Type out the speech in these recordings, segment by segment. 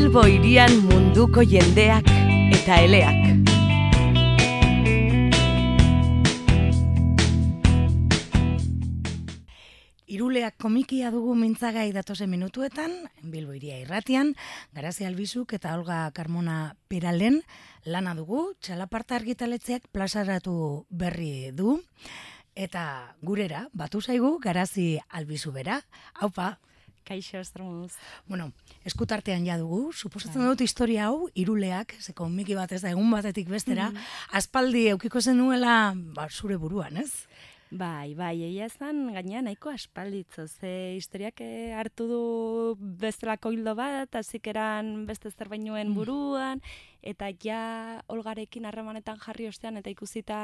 Bilbo hirian munduko jendeak eta eleak. Iruleak komikia dugu mintzagai datozen minutuetan, Bilbo hiria irratian, Garazi Albizuk eta Olga Carmona Peralen lana dugu, txalaparta argitaletxeak plazaratu berri du, eta gurera, batu zaigu Garazi Albizu bera, haupa. Kaixo, estromuz. Bueno, eskutartean ja dugu, suposatzen dut historia hau, Iruleak, ze komiki bat ez da egun batetik bestera, aspaldi eukiko zenuela zure buruan, ez? Bai, egia ezan, gainean nahiko aspalditzo, ze historiak hartu du bestelako hildo bat, azikeran beste zerbainuen buruan, eta ja Olgarekin harremanetan jarri ostean, eta ikusita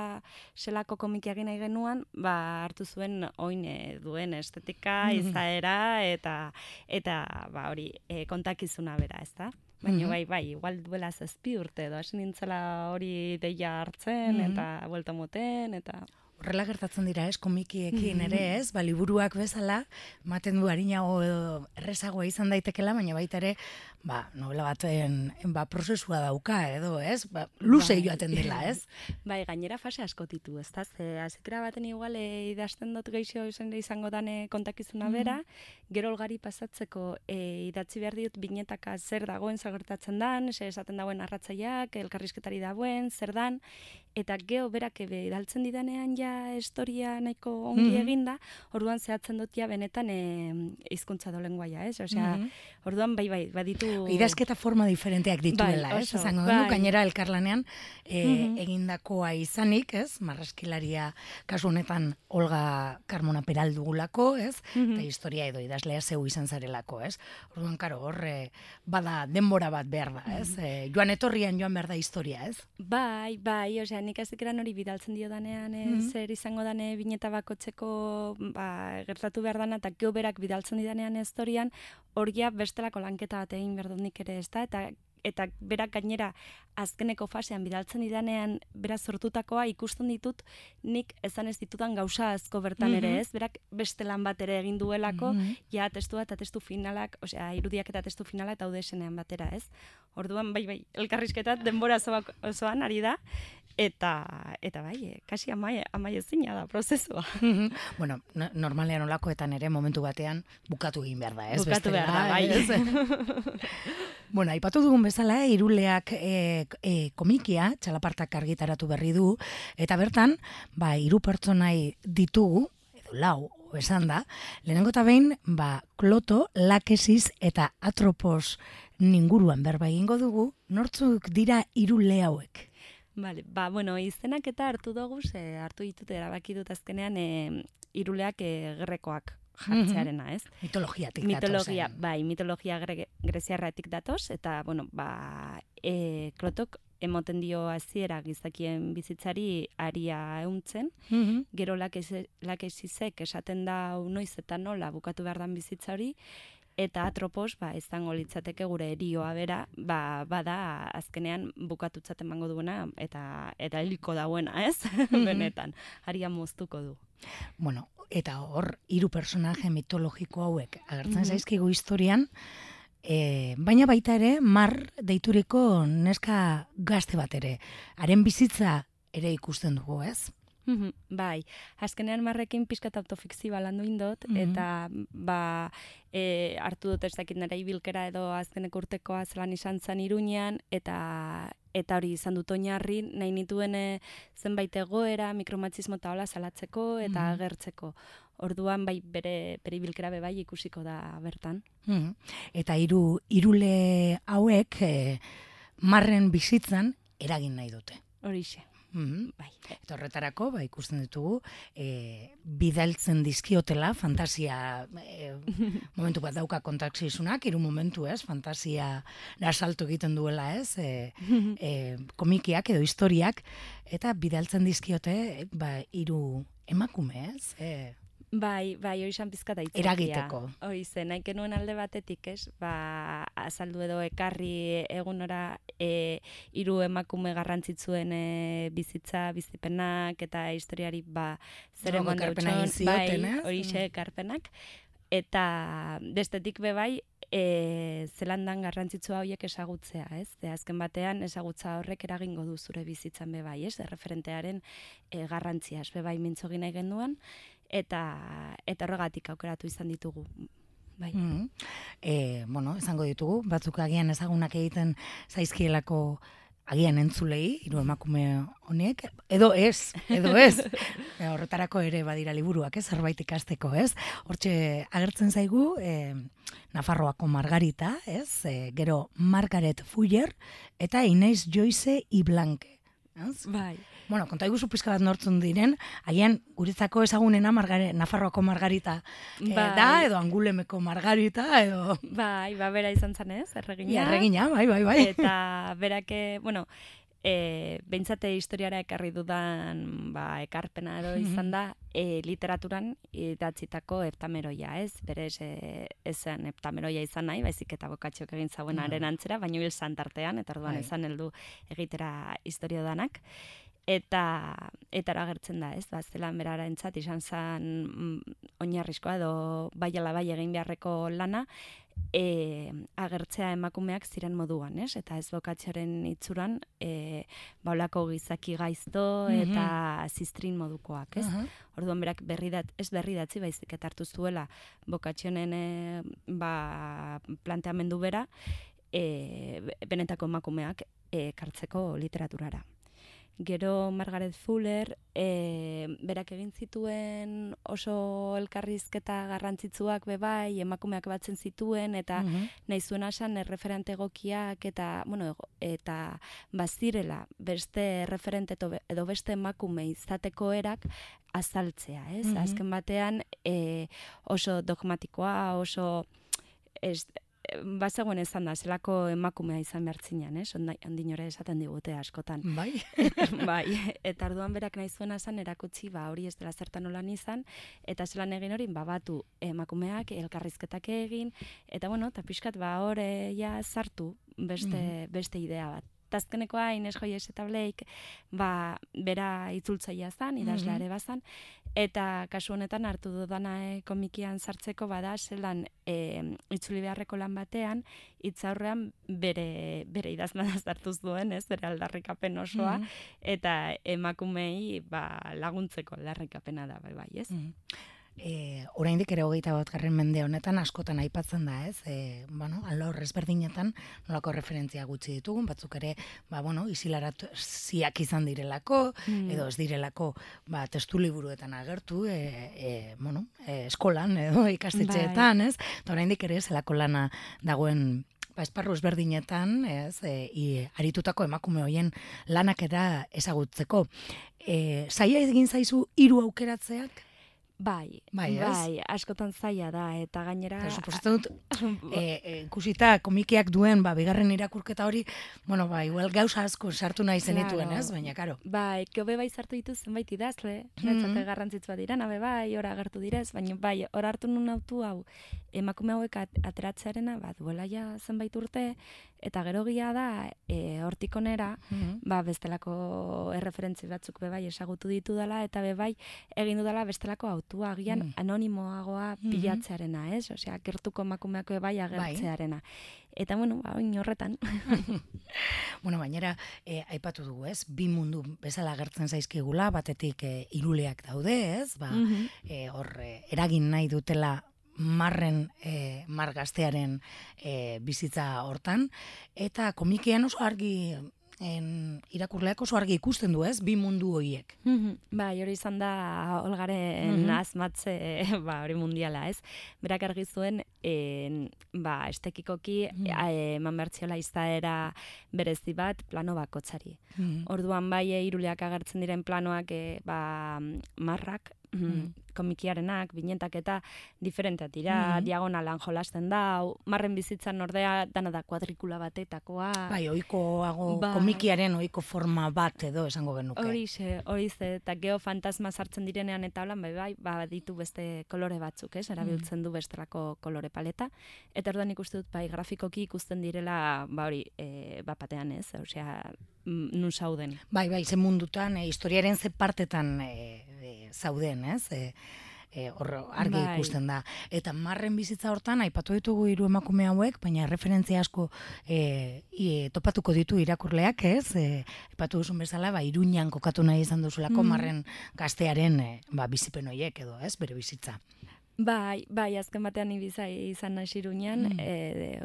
zelako komikiak nahi genuan, hartu zuen oin duen estetika, izaera, eta hori kontakizuna bera, ez da? Baina bai, igual duela 7 urte edo, hasi nintzela hori deia hartzen, eta buelta moten, eta... Horrela gertatzen dira, ez, komikiekin ere, ez, liburuak bezala, ematen du harinago edo errezagoa izan daitekela, baina baita ere, novela baten prozesua dauka edo, ez, luze joaten dela, ez? Bai, gainera fase asko ditu, ez da, azikera baten igual idazten dut geixo izango dane kontakizuna bera, gero Olgari pasatzeko idatzi behar diot binetaka zer dagoen zagertatzen dan, esaten dagoen arratzaiak, elkarrizketari dagoen, zer dan, eta geho berak idaltzen didanean ja historia nahiko ongi eginda, orduan zehatzen dut ja benetan hizkuntza dolengoaia, ez? Osea, orduan bai, baditu... Idazketa forma diferenteak dituela, ez? Esango dugu, gainera elkarlanean egindakoa izanik, ez? Marraskilaria kasu honetan Olga Carmona Peral dugulako, ez? Eta historia edo idazlea zeu izan zarelako, ez? Orduan, karo, horre bada denbora bat behar da, ez? Joan etorrian joan behar da historia, ez? Bai, osea, nik azikeran hori bidaltzen dio danean, zer izango dane bineta bakotzeko gertatu behar dana, eta geho berak bidaltzen didanean historian, horia bestelako lanketa bat egin behar dut nik ere, ez da, eta berak gainera azkeneko fasean bidaltzen didanean beraz sortutakoa ikusten ditut nik ezan ez ditudan gauza asko bertan ere, ez? Berak beste lan bat ere egin duelako, ja testua eta testu finalak, osea, irudiak eta testu finalak daude esenean batera, ez? Orduan, bai, elkarrizketat denbora osoan ari da, eta bai, kasi amai ezina da prozesua. Bueno, normalean olakoetan ere momentu batean bukatu egin behar da, ez? Bukatu behar da, bai. Bueno, aipatu dugun bezala, Iruleak komikia, txalapartak argitaratu berri du, eta bertan, 3 pertsonai ditugu, edo 4, esan da, lehenengo eta behin, Kloto, Lakesis eta Atropos ninguruan berba egingo dugu, nortzuk dira Irule hauek? Vale, bueno, izenak eta hartu dugu, hartu ditut erabaki dut azkenean Iruleak gerrekoak jartzearena, ez? Mitologiatik datoz. Mitologia greziarratik datoz, eta, bueno, Klotok emoten dio hasiera gizakien bizitzari aria euntzen, gero Lakesisek esaten da noiz eta nola bukatu behar dan bizitza hori, eta Atropos, izango litzateke gure erioa bera, bada azkenean bukatutzat emango duena, eta heliko dauena, ez? Benetan, aria moztuko du. Bueno, eta hor, 3 personaje mitologiko hauek agertzen zaizkigu historian, baina baita ere, Mar deituriko neska gazte bat ere. Haren bizitza ere ikusten dugu, ez? Bai, azkenean Marrekin pixkat autofikzioa landu indot, eta hartu dut ez dakit nera ibilkera edo azkeneko urtekoa zelan izan zen Iruñean, eta hori izan dut oinarri, nahi nituen zenbait egoera, mikromatxismo eta hola salatzeko eta agertzeko. Orduan bere ibilkera bai ikusiko da bertan. Eta Irule hauek Marren bizitzan eragin nahi dute. Horixe. Bai. Eta horretarako, ikusten ditugu, bidaltzen dizkiotela, fantasia, momentu bat dauka kontaksizunak, 3 momentu, ez, fantasia salto egiten duela, ez, komikiak edo historiak, eta bidaltzen dizkiote, 3 emakume, ez, Bai, hori izan pizkata itzakia. Eragiteko. Hori zen, nahi genuen alde batetik, ez? Azaldu edo ekarri egunora 3 emakume garrantzitsuen bizitza, bizipenak eta historiari zer eman ekarpenak hori ekarpenak. Eta bestetik bai, zelandan garrantzitsua horiek ezagutzea, ez? Azken batean ezagutza horrek eragingo du zure bizitzan bebai, ez? Referentearen garrantzia, ez bebai mintzogin nahi genduan, eta horregatik aukeratu izan ditugu. Bai. Bueno, esango ditugu, batzuk agian ezagunak egiten zaizkielako agian entzulei, hiru emakume honek, edo ez. Horretarako ere badira liburuak, ez, zerbait ikasteko, ez? Hortxe agertzen zaigu, Nafarroako Margarita, ez? Gero Margaret Fuller eta Inés Joyce y Blanque. Ez? Bai. Bueno, konta iguzu pizka bat nortzun diren, haien guretzako ezagunena Nafarroako Margarita da, edo Angulemeko Margarita, edo... Bai, bera izan zen ez, erregina. Erregina, bai. Eta berake, bueno, behintzate historiara ekarri dudan ekarpena edo izan da, literaturan idatzitako heptameroia, ez? Berez ez zen heptameroia izan nahi, baizik eta bokatxok egin zauenaren antzera, baino hil santartean, eta orduan ezan heldu egitera historio danak. Eta agertzen da, ez? Zelan berara entzat, izan zen oinarrizkoa edo bai ala bai egin beharreko lana, agertzea emakumeak ziren moduan, ez? Eta ez bokatxoren itzuran, baulako gizaki gaizto eta ziztrin modukoak, ez? Orduan berak ez berridatzi baizik eta hartu zuela bokatxonen planteamendu bera, benetako emakumeak kartzeko literaturara. Gero Margaret Fuller, berak egin zituen oso elkarrizketa garrantzitsuak bebai, emakumeak batzen zituen, eta nahi zuen asan erreferente egokiak, eta bazirela beste referente edo beste emakume izateko erak azaltzea, ez? Azken batean oso dogmatikoa, oso... Bazegoen ezan da, zelako emakumea izan behartzinan, ez? Ondinore esaten digute askotan. Bai. Bai, eta orduan berak nahi zuena zan erakutsi, hori ez dela zertan olan izan, eta zelan egin hori, batu emakumeak, elkarrizketak egin, eta bueno, eta pixkat hor sartu beste idea bat. Azkenekoa Inés Joyce eta Blake, bera itzultzailea zan, idazleare bazan, eta kasu honetan hartu dudana komikian sartzeko bada, zelan itzuli beharreko lan batean, hitzaurrean bere idazlana sartuz duen, ez, bere aldarrikapen osoa, eta emakumei laguntzeko aldarrikapena da, bai, ez? Oraindik ere 21. mende honetan askotan aipatzen da, ez? Alor ezberdinetan nolako referentzia gutxi ditugun, batzuk ere, isilaratuziak izan direlako, edo ez direlako, testu liburuetan agertu, eskolan edo ikastetxeetan, ez? Eta oraindik ere zelako lana dagoen esparru ezberdinetan, ez, aritutako emakume hoien lanak eta ezagutzeko. Zaila egin zaizu 3 aukeratzeak? Bai, askotan zaila da, eta gainera... Suposatzen dut, ikusita komikiak duen, bigarren irakurketa hori, igual gauza asko sartu nahi zenituen, ez? Baina, karo. Bai, geobe sartu ditu zenbait idazle, netzate garrantzitsua dira, nabe ora agertu direz, baina ora hartu nun autu hau, emakume hauek ateratzearena, duela ja zenbait urte, eta gero gila da, hortik onera, bestelako erreferentzi batzuk bebai esagutu ditu dela, eta bebai egin dudala bestelako autua, agian anonimoagoa bilatzearena, ez? Osea, gertuko emakumeako bebai agertzearena. Eta, oin horretan. Bainera, aipatu dugu, ez? 2 mundu bezala agertzen zaizkigula, batetik iruleak daude, ez? Hor, eragin nahi dutela mar gaztearen bizitza hortan, eta komikian oso argi irakurleak oso argi ikusten du, ez? 2 mundu horiek. Bai, hori izan da Olgaren azmatze hori mundiala, ez? Berak argi zuen, estekikoki eman bertziola izaera berezi bat plano bakotzari. Orduan iruleak agertzen diren planoak marrak, komikiarenak, binetak eta diferenteak dira, diagonalan jolasten da, marren bizitzan ordea dana da kuadrikula batetakoa. Ohikoago komikiaren ohiko forma bat edo esango genuke. Horize, eta geofantasma sartzen direnean eta holan, ditu beste kolore batzuk, ez? Erabiltzen du bestelako kolore paleta. Eta orduan ikusten dut, grafikoki ikusten direla, batean, ez? Osea, nun zauden. Ze mundutan, historiaren ze partetan zauden, ez? hor argi ikusten da. Eta Marren bizitza hortan, aipatu ditugu 3 emakume hauek, baina referentzia asko topatuko ditu irakurleak, ez? Aipatu duzun bezala, Iruñan kokatu nahi izan duzulako Marren gaztearen bizipen horiek edo, ez? Bere bizitza. Bai, azken batean ibizai izan naiz Iruñan,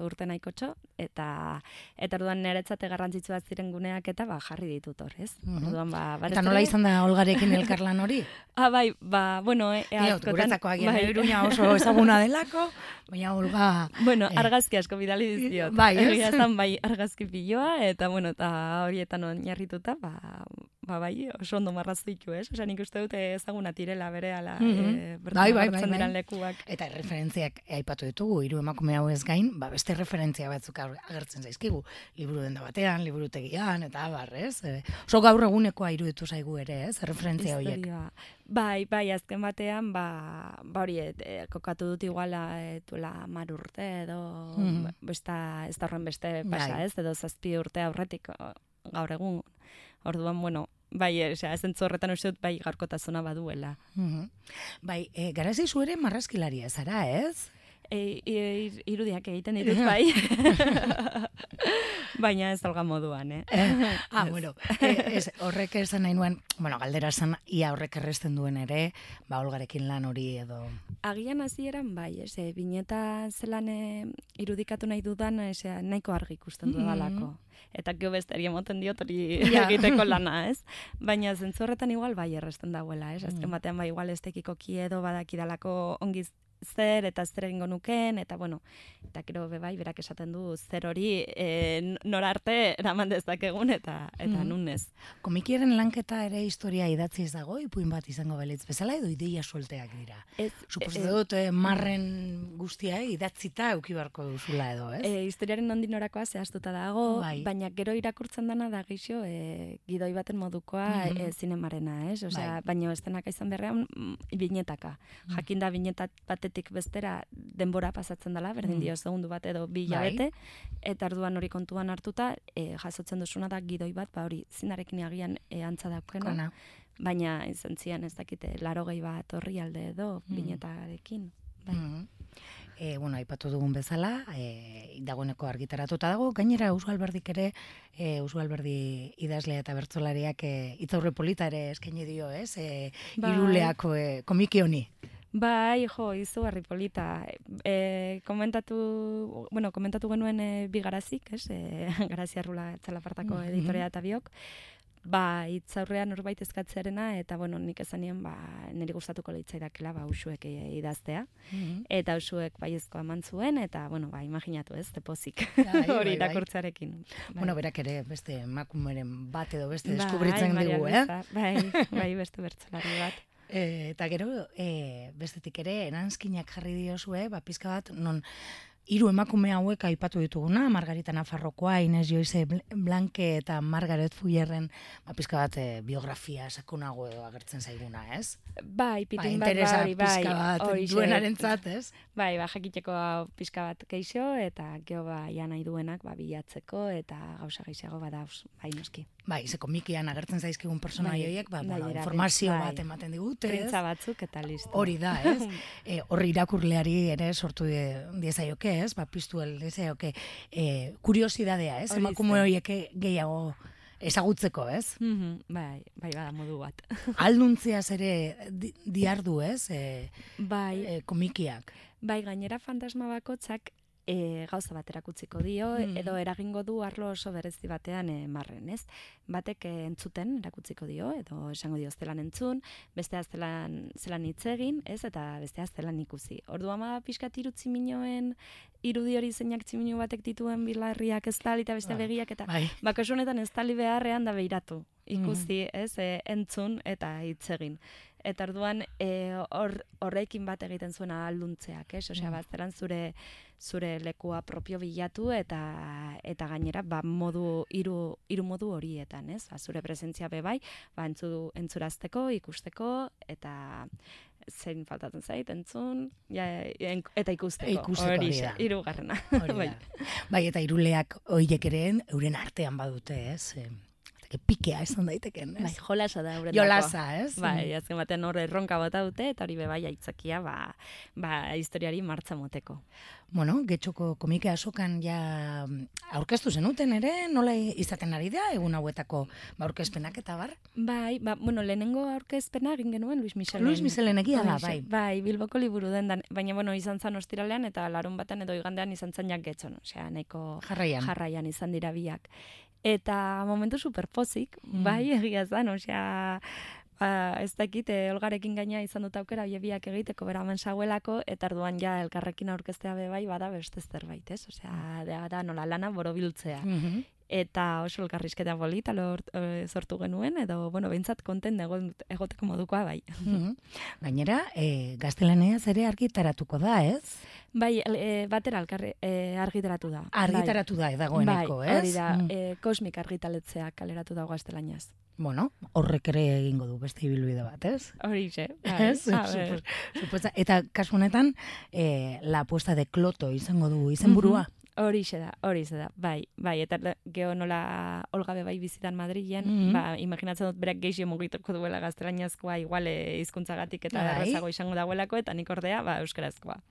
urte nahikotxo, eta orduan niretzat garrantzitsua ziren guneak eta jarri ditut hor, ez? Orduan, eta nola izan da Olgarekin elkarlan hori? Bai, bueno, askotan... Guretzako agian Iruña oso ezaguna delako, baina Olga... Bueno, argazki asko bidali dizkiot. Bai, ez? Egia zan, argazki piloa, eta bueno, eta horietan oinarrituta, bai, oso ondo marrazu ditu, ez? Osa, nik uste dute ezaguna tirela berehala, bertzen diran lekuak. Eta referentziak aipatu ditugu, 3 emakume hau ez gain, beste referentzia batzuk agertzen zaizkigu, liburu denda batean, liburutegian, eta ez? Oso gaur egunekoa iruditu zaigu ere, ez? Referentzia horiek. Bai, azken batean, hori, kokatu dut iguala, duela 10 urte, edo, ez da horren beste pasa, ez? Edo 7 urte aurretik gaur egun. Orduan, bueno, zentzu horretan uste dut, gaurkotasuna baduela. Bai, garazi zu ere marrazkilaria zara, ez? Irudiak egiten ditut, bai. Baina ez dalga moduan, Bueno, horrek esan nahi nuen, galdera esan, ia horrek erresten duen ere, Olgarekin lan hori edo... Agian hasieran bai, bineta zelan irudikatu nahi dudan, nahiko argi ikusten dudalako. Eta gio besteri emoten diot hori egiteko lana, ez? Baina zentzu horretan igual bai erresten dagoela, ez? Azken batean igual estekiko kiedo badakidalako ongiz zer eta zer egingo nuken, eta bueno, eta gero bai, berak esaten du zer hori nora arte eraman dezakegun eta nunez. Komikiaren lanketa ere historia idatziz dago, ipuin bat izango balitz bezala edo ideia suelteak dira. Suposatu dut Marren guztia idatzita euki beharko duzula edo, ez? Historiaren nondik norakoa zehaztuta dago, baina gero irakurtzen dana da gixo gidoi baten modukoa zinemarena, ez? Baina estenak izan berrean binetaka. Jakinda binetat batetik bestera denbora pasatzen dela, berdin dio segundu bat edo 2 hilabete, eta orduan hori kontuan hartuta, jasotzen duzuna da gidoi bat, hori zinarekin agian antza daukena, baina izan zian ez dakite 80 bat orrialde edo binetarekin. Aipatu dugun bezala, dagoeneko argitaratuta dago, gainera Usu Alberdik ere, Usu Alberdi idazlea eta bertsolariak hitzaurre polita ere eskaini dio, ez? Iruleako komiki honi. Bai, izugarri polita. Komentatu genuen Bigarazik, ez? Garazi Arrula Txalapartako editorea eta biok. Hitzaurrean norbait eskatzearena, eta nik esanien niri gustatuko litzaidakela Usuek idaztea. Eta Usuek baiezkoa eman zuen, eta imaginatu ez, tepozik hori irakurtzarekin. Berak ere beste emakumeren bat edo beste deskubritzen digu, Bai, beste bertsolari bat. Eta gero, bestetik ere, eranskinak jarri diozue, pizka bat, non 3 emakume hauek aipatu dituguna, Margarita Nafarrokoa, Inez Joize Blanke eta Margaret Fuyerren, pizka bat biografia sakonago edo agertzen zaiguna, ez? Bai, pitin bat, interesa pizka bat duenarentzat, ez? Bai, jakiteko pizka bat keixo, eta gero ja nahi duenak bilatzeko, eta gauza gehiago badauz, noski. Bai, ze komikian agertzen zaizkigun personai horiek, informazio bat ematen digute, ez? Printza batzuk eta listo. Hori da, ez? Horri irakurleari ere sortu diezaioke, ez? Piztu diezaioke kuriosidadea, ez? Emakume horiek gehiago ezagutzeko, ez? Bai, bada modu bat. Alduntziaz ere diardu, ez? Komikiak. Bai, gainera fantasma bakotzak gauza bat erakutziko dio, edo eragingo du arlo oso berezi batean Marren, ez? Batek entzuten erakutziko dio, edo esango dio zelan entzun, bestea zelan hitz egin, ez? Eta bestea zelan ikusi. Orduan pixkat irudi hori zeinak tximinu batek dituen bilarriak ez tali eta beste begiak, eta kasu honetan ez tali beharrean da behiratu. Ikusi, ez? Entzun eta hitz egin. Eta orduan horrekin bat egiten zuena alduntzeak, ez? Osea, bazeran zure lekua propio bilatu eta gainera hiru modu horietan, ez? Zure presentzia bebai, entzurazteko, ikusteko eta zein faltatzen zait, entzun, eta ikusteko. Hori da. 3. Bai, eta iruleak horiek ere euren artean badute, ez? pikea esan daiteken, ez? Bai, jolasa da horretako. Jolasa, ez? Bai, azken batean hor erronka bota dute, eta hori bai aitzakia, historiari martza moteko. Bueno, Getxoko komike azokan ja aurkeztu zenuten ere, nola izaten ari da, egun hauetako aurkezpenak eta bar? Bai, lehenengo aurkezpena egin genuen Luis Michelen. Luis Michelen egia da, bai. Bai, Bilboko liburu dendan, baina izan zan ostiralean eta larun batean edo igandean izan zan jak Getxon, osea, nahiko jarraian izan dira biak. Eta momentu superpozik, bai, egia zan, osea, ez dakit, Olgarekin gaina izan dut aukera biak egiteko beraman sauelako, eta arduan ja elkarrekin aurkeztea bai bada beste zerbait, ez? Osea, da nola lana borobiltzea. Eta oso elkarrizketa polita sortu genuen, edo, behintzat konten egoteko modukoa bai. Gainera, gaztelaniaz ere argitaratuko da, ez? Bai, batera argitaratu da. Argitaratu da, dagoeneko, ez? Bai, hori da, Kosmik argitaletzeak kaleratu dago gaztelaniaz. Bueno, horrek ere egingo du beste ibilbide bat, ez? Horixe, bai. Eta kasu honetan, la apuesta de Kloto izango du izenburua. Horixe da, bai, eta geho nola Olga bai bizitan Madrilen, imaginatzen dut berak geixio mugituko duela gaztelaniazkoa, igual hizkuntzagatik eta errazago izango dagoelako, eta nik ordea, euskarazkoa.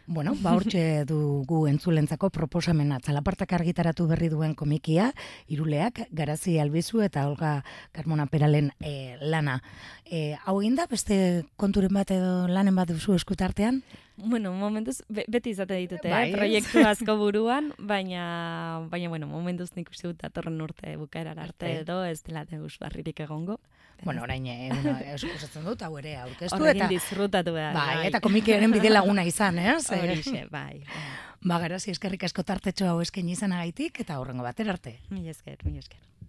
Bueno, hortxe dugu entzulentzako proposamena, Txalapartak argitaratu berri duen komikia, Iruleak, Garazi Albizu eta Olga Carmona Peralen lana. Hau egin da, beste konturen bat edo lanen bat duzu eskutartean? Bueno, momentuz, beti izate ditute, proiektu asko buruan, baina, momentuz nik uste dut datorren urte bukaerar arte edo, ez dela deus barririk egongo. Bueno, orain, eskusatzen dut, hau ere aurkeztu. Horrekin disfrutatu behar. Bai, eta komikiaren bide laguna izan, ez? Horixe, bai. Garazi, eskerrik asko tartetxo hau eskaini izanagaitik, eta horrengo batera arte. Mila esker.